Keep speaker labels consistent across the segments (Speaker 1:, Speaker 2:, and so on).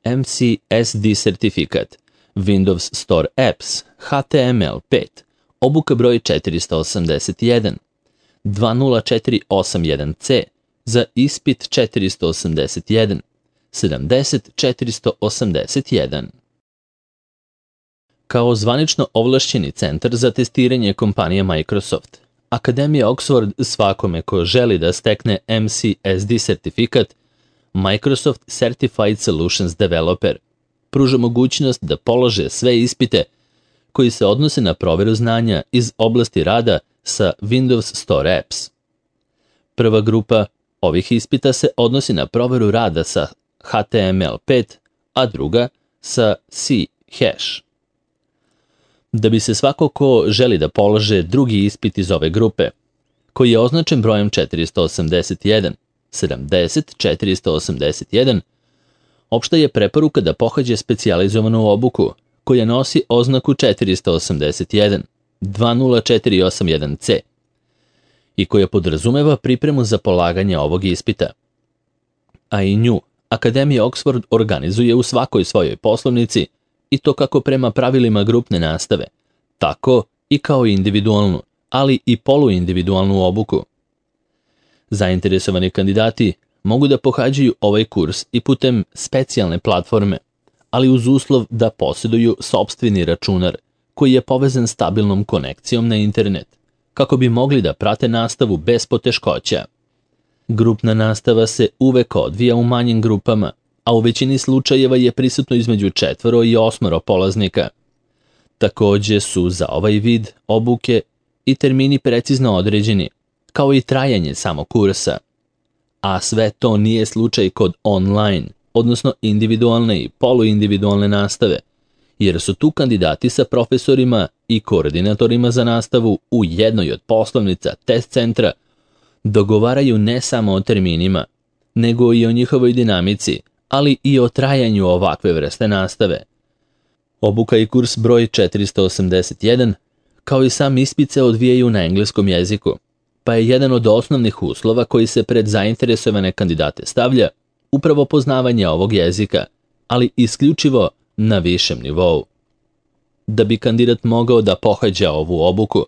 Speaker 1: MCSD sertifikat, Windows Store Apps, HTML5, obuka broj 481, 20481C za ispit 481, 70481. Kao zvanično ovlašćeni centar za testiranje kompanije Microsoft, Akademija Oxford svakome ko želi da stekne MCSD sertifikat, Microsoft Certified Solutions Developer, pruža mogućnost da polože sve ispite koji se odnose na proveru znanja iz oblasti rada sa Windows Store Apps. Prva grupa ovih ispita se odnosi na proveru rada sa HTML5, a druga sa C#. Da bi se svako ko želi da polože drugi ispit iz ove grupe, koji je označen brojem 481, 70481, opšta je preporuka da pohađe specijalizovanu obuku koja nosi oznaku 481, 20481C i koja podrazumeva pripremu za polaganje ovog ispita. A i nju Akademija Oxford organizuje u svakoj svojoj poslovnici i to kako prema pravilima grupne nastave, tako i kao individualnu, ali i poluindividualnu obuku. Zainteresovani kandidati mogu da pohađaju ovaj kurs i putem specijalne platforme, ali uz uslov da posjeduju sopstveni računar koji je povezan stabilnom konekcijom na internet, kako bi mogli da prate nastavu bez poteškoća. Grupna nastava se uvek odvija u manjim grupama, a u većini slučajeva je prisutno između 4 i 8 polaznika. Takođe su za ovaj vid obuke i termini precizno određeni, kao i trajanje samog kursa. A sve to nije slučaj kod online, odnosno individualne i poluindividualne nastave, jer su tu kandidati sa profesorima i koordinatorima za nastavu u jednoj od poslovnica test centra dogovaraju ne samo o terminima, nego i o njihovoj dinamici, ali i o trajanju ovakve vrste nastave. Obuka i kurs broj 481, kao i sam ispit se odvijaju na engleskom jeziku, pa je jedan od osnovnih uslova koji se pred zainteresovane kandidate stavlja upravo poznavanje ovog jezika, ali isključivo na višem nivou. Da bi kandidat mogao da pohađa ovu obuku,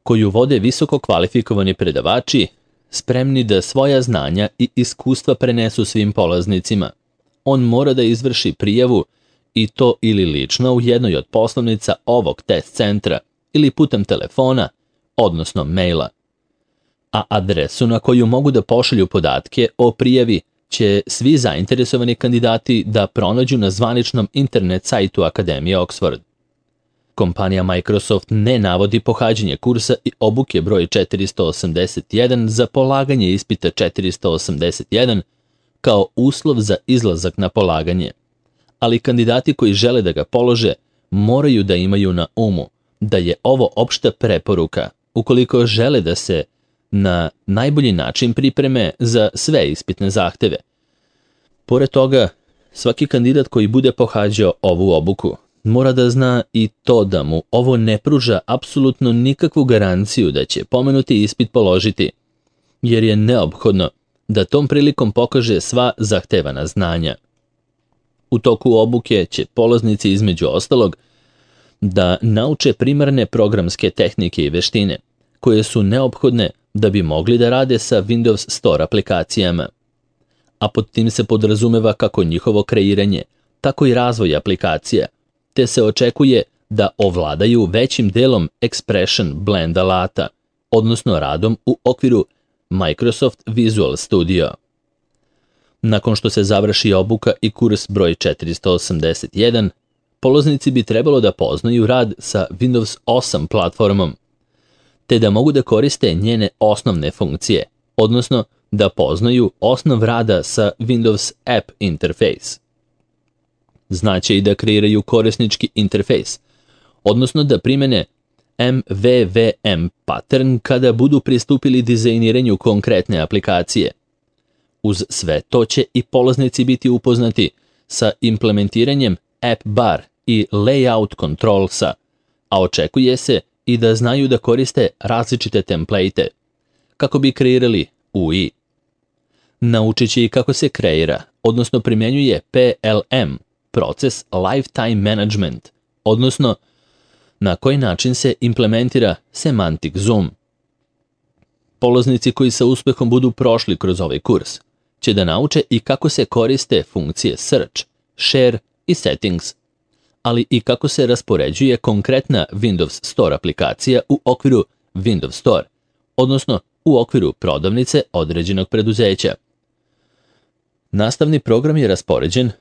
Speaker 1: koju vode visoko kvalifikovani predavači, spremni da svoja znanja i iskustva prenesu svim polaznicima, on mora da izvrši prijavu i to ili lično u jednoj od poslovnica ovog test centra ili putem telefona, odnosno maila. A adresu na koju mogu da pošalju podatke o prijavi će svi zainteresovani kandidati da pronađu na zvaničnom internet sajtu Akademije Oxford. Kompanija Microsoft ne navodi pohađanje kursa i obuke broj 481 za polaganje ispita 481 kao uslov za izlazak na polaganje, ali kandidati koji žele da ga polože moraju da imaju na umu da je ovo opšta preporuka ukoliko žele da se na najbolji način pripreme za sve ispitne zahteve. Pored toga, svaki kandidat koji bude pohađao ovu obuku mora da zna i to da mu ovo ne pruža apsolutno nikakvu garanciju da će pomenuti ispit položiti, jer je neophodno da tom prilikom pokaže sva zahtevana znanja. U toku obuke će polaznici između ostalog da nauče primarne programske tehnike i veštine, koje su neophodne da bi mogli da rade sa Windows Store aplikacijama. A pod tim se podrazumeva kako njihovo kreiranje, tako i razvoj aplikacija, te se očekuje da ovladaju većim delom Expression Blend alata, odnosno radom u okviru Microsoft Visual Studio. Nakon što se završi obuka i kurs broj 481, polaznici bi trebalo da poznaju rad sa Windows 8 platformom, te da mogu da koriste njene osnovne funkcije, odnosno da poznaju osnov rada sa Windows App Interface. Znaće i da kreiraju korisnički interfejs, odnosno da primene MVVM pattern kada budu pristupili dizajniranju konkretne aplikacije. Uz sve to će i polaznici biti upoznati sa implementiranjem App Bar i Layout Controlsa, a očekuje se i da znaju da koriste različite template kako bi kreirali UI. Naučit će i kako se kreira, odnosno primjenjuje PLM, proces Lifetime Management, odnosno na koji način se implementira Semantic Zoom. Polaznici koji sa uspehom budu prošli kroz ovaj kurs će da nauče i kako se koriste funkcije Search, Share i Settings, ali i kako se raspoređuje konkretna Windows Store aplikacija u okviru Windows Store, odnosno u okviru prodavnice određenog preduzeća. Nastavni program je raspoređen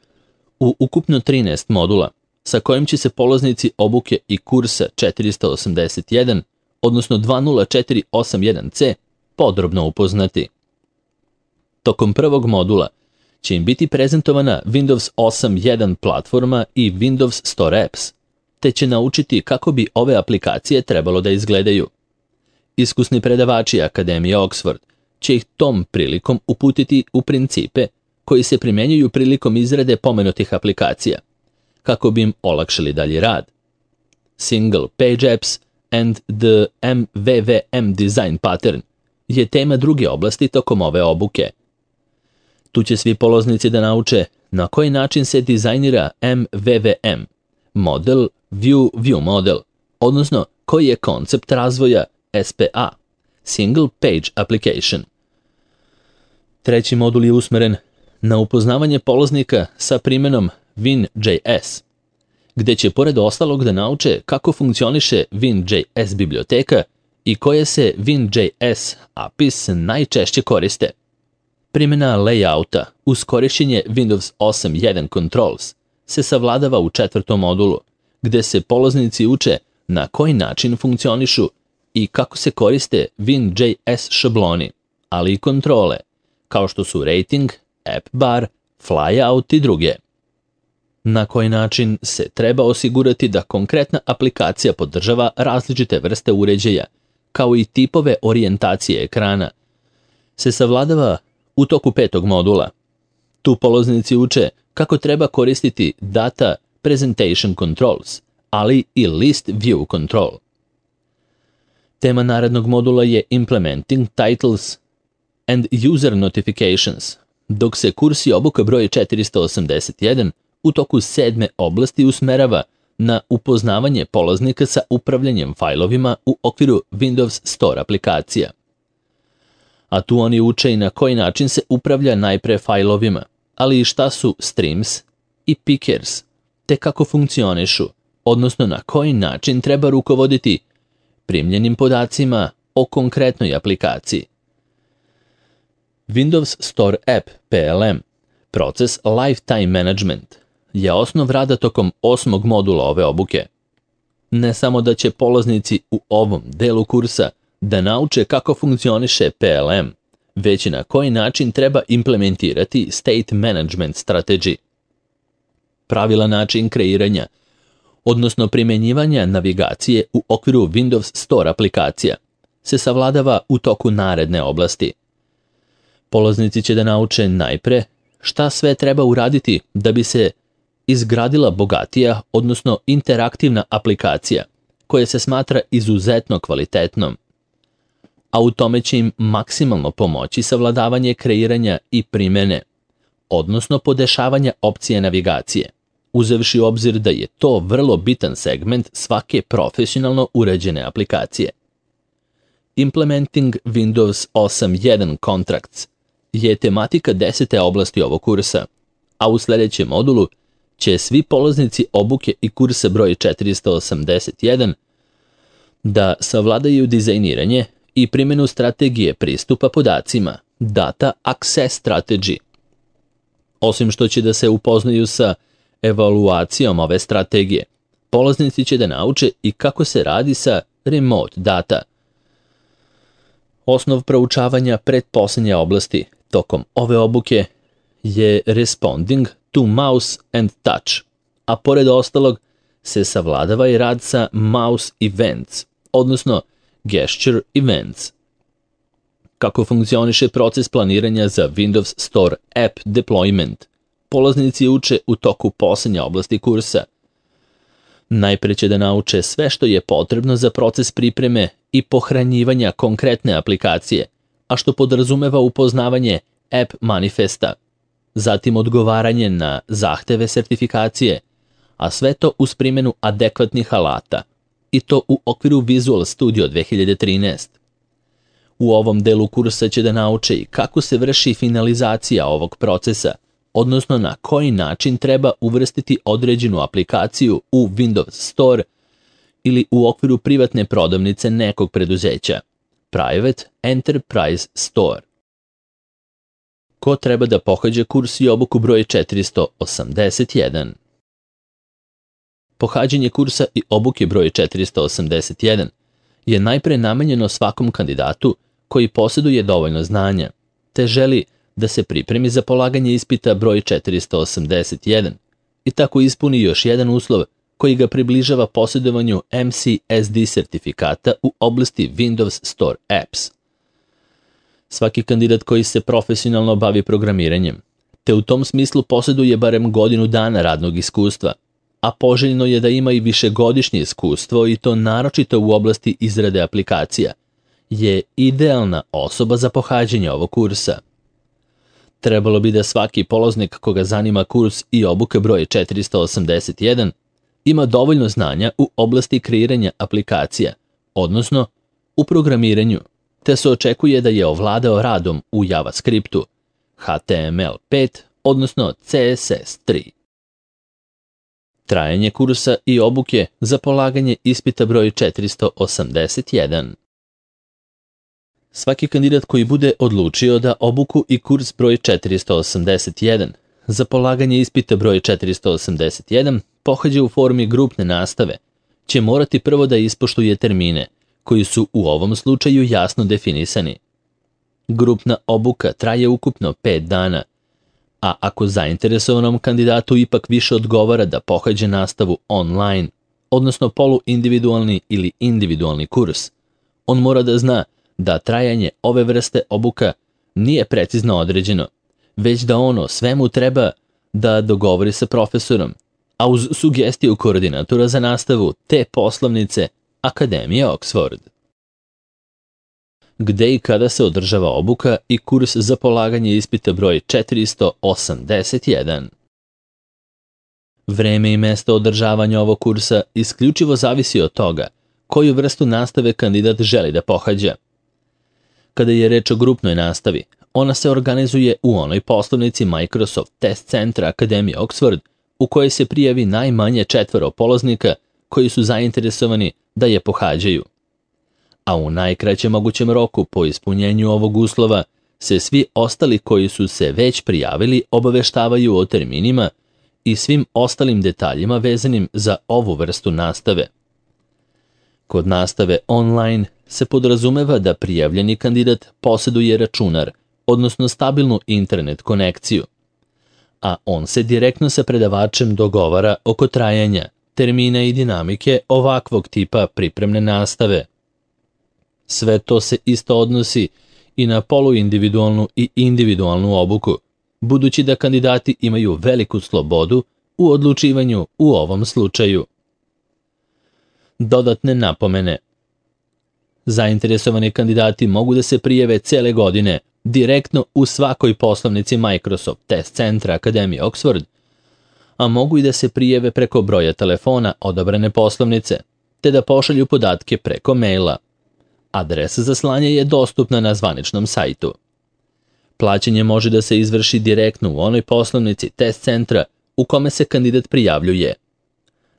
Speaker 1: u ukupno 13 modula, sa kojim će se polaznici obuke i kursa 481, odnosno 20481C, podrobno upoznati. Tokom prvog modula će im biti prezentovana Windows 8.1 platforma i Windows Store Apps, te će naučiti kako bi ove aplikacije trebalo da izgledaju. Iskusni predavači Akademije Oxford će ih tom prilikom uputiti u principe koji se primjenjuju prilikom izrade pomenutih aplikacija, kako bi im olakšali dalji rad. Single Page Apps and the MVVM Design Pattern je tema druge oblasti tokom ove obuke. Tu će svi polaznici da nauče na koji način se dizajnira MVVM, Model View Model, odnosno koji je koncept razvoja SPA, Single Page Application. Treći modul je usmeren na upoznavanje polaznika sa primjenom WinJS, gde će pored ostalog da nauče kako funkcioniše WinJS biblioteka i koje se WinJS APIs najčešće koriste. Primjena layouta uz korišćenje Windows 8.1 Controls se savladava u četvrtom modulu, gde se polaznici uče na koji način funkcionišu i kako se koriste WinJS šabloni, ali i kontrole, kao što su rating, app bar, flyout i druge. Na koji način se treba osigurati da konkretna aplikacija podržava različite vrste uređaja, kao i tipove orijentacije ekrana, se savladava u toku petog modula. Tu polaznici uče kako treba koristiti Data Presentation Controls, ali i List View Control. Tema narednog modula je Implementing Titles and User Notifications, dok se kurs i obuka broj 481 u toku 7. oblasti usmerava na upoznavanje polaznika sa upravljanjem fajlovima u okviru Windows Store aplikacija. A tu oni uče i na koji način se upravlja najpre fajlovima, ali i šta su streams i pickers, te kako funkcionišu, odnosno na koji način treba rukovoditi primljenim podacima o konkretnoj aplikaciji. Windows Store App PLM, proces Lifetime Management, je osnov rada tokom 8. modula ove obuke. Ne samo da će polaznici u ovom delu kursa da nauče kako funkcioniše PLM, već i na koji način treba implementirati State Management Strategy. Pravilan način kreiranja, odnosno primjenjivanja navigacije u okviru Windows Store aplikacija, se savladava u toku naredne oblasti. Polaznici će da nauče najpre šta sve treba uraditi da bi se izgradila bogatija, odnosno interaktivna aplikacija, koja se smatra izuzetno kvalitetnom. A u tome će im maksimalno pomoći savladavanje kreiranja i primjene, odnosno podešavanja opcije navigacije, uzevši u obzir da je to vrlo bitan segment svake profesionalno uređene aplikacije. Implementing Windows 8.1 Contracts je tematika 10. oblasti ovog kursa, a u sljedećem modulu će svi polaznici obuke i kursa broj 481 da savladaju dizajniranje i primjenu strategije pristupa podacima, Data Access Strategy. Osim što će da se upoznaju sa evaluacijom ove strategije, polaznici će da nauče i kako se radi sa remote data. Osnov proučavanja pretposlednje oblasti tokom ove obuke je Responding to Mouse and Touch, a pored ostalog se savladava i rad sa Mouse Events, odnosno Gesture Events. Kako funkcioniše proces planiranja za Windows Store App Deployment, polaznici uče u toku posljednje oblasti kursa. Najpre će da nauče sve što je potrebno za proces pripreme i pohranjivanja konkretne aplikacije, a što podrazumeva upoznavanje app manifesta, zatim odgovaranje na zahteve sertifikacije, a sve to uz primjenu adekvatnih alata, i to u okviru Visual Studio 2013. U ovom delu kursa će da nauče i kako se vrši finalizacija ovog procesa, odnosno na koji način treba uvrstiti određenu aplikaciju u Windows Store ili u okviru privatne prodavnice nekog preduzeća, Private Enterprise Store. Ko treba da pohađa kurs i obuku broj 481? Pohađanje kursa i obuke broj 481 je najpre namenjeno svakom kandidatu koji posjeduje dovoljno znanja, te želi da se pripremi za polaganje ispita broj 481 i tako ispuni još jedan uslov koji ga približava posjedovanju MCSD sertifikata u oblasti Windows Store Apps. Svaki kandidat koji se profesionalno bavi programiranjem, te u tom smislu posjeduje barem godinu dana radnog iskustva, a poželjno je da ima i višegodišnje iskustvo i to naročito u oblasti izrade aplikacija, je idealna osoba za pohađanje ovog kursa. Trebalo bi da svaki polaznik koga zanima kurs i obuka broj 481 ima dovoljno znanja u oblasti kreiranja aplikacija, odnosno u programiranju, te se očekuje da je ovladao radom u JavaScriptu, HTML5, odnosno CSS3. Trajanje kursa i obuke za polaganje ispita broj 481. Svaki kandidat koji bude odlučio da obuku i kurs broj 481 za polaganje ispita broj 481 pohađa u formi grupne nastave, će morati prvo da ispoštuje termine, koji su u ovom slučaju jasno definisani. Grupna obuka traje ukupno 5 dana, a ako zainteresovanom kandidatu ipak više odgovara da pohađe nastavu online, odnosno poluindividualni ili individualni kurs, on mora da zna da trajanje ove vrste obuka nije precizno određeno, već da ono svemu treba da dogovori sa profesorom, a uz sugestiju koordinatora za nastavu te poslovnice Akademije Oxford. Gde i kada se održava obuka i kurs za polaganje ispita broj 481? Vreme i mesto održavanja ovog kursa isključivo zavisi od toga koju vrstu nastave kandidat želi da pohađa. Kada je reč o grupnoj nastavi, ona se organizuje u onoj poslovnici Microsoft Test Centra Akademije Oxford u kojoj se prijavi najmanje 4 polaznika koji su zainteresovani da je pohađaju. A u najkraćem mogućem roku po ispunjenju ovog uslova se svi ostali koji su se već prijavili obaveštavaju o terminima i svim ostalim detaljima vezanim za ovu vrstu nastave. Kod nastave online se podrazumeva da prijavljeni kandidat posjeduje računar, odnosno stabilnu internet konekciju, a on se direktno sa predavačem dogovara oko trajanja, termina i dinamike ovakvog tipa pripremne nastave. Sve to se isto odnosi i na poluindividualnu i individualnu obuku, budući da kandidati imaju veliku slobodu u odlučivanju u ovom slučaju. Dodatne napomene. Zainteresovani kandidati mogu da se prijave cele godine direktno u svakoj poslovnici Microsoft Test Centra Akademije Oxford, a mogu i da se prijave preko broja telefona odabrane poslovnice, te da pošalju podatke preko maila. Adresa za slanje je dostupna na zvaničnom sajtu. Plaćanje može da se izvrši direktno u onoj poslovnici test centra u kome se kandidat prijavljuje.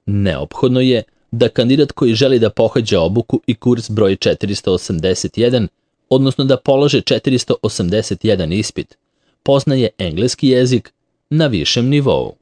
Speaker 1: Neophodno je da kandidat koji želi da pohađa obuku i kurs broj 481, odnosno da polože 481 ispit, poznaje engleski jezik na višem nivou.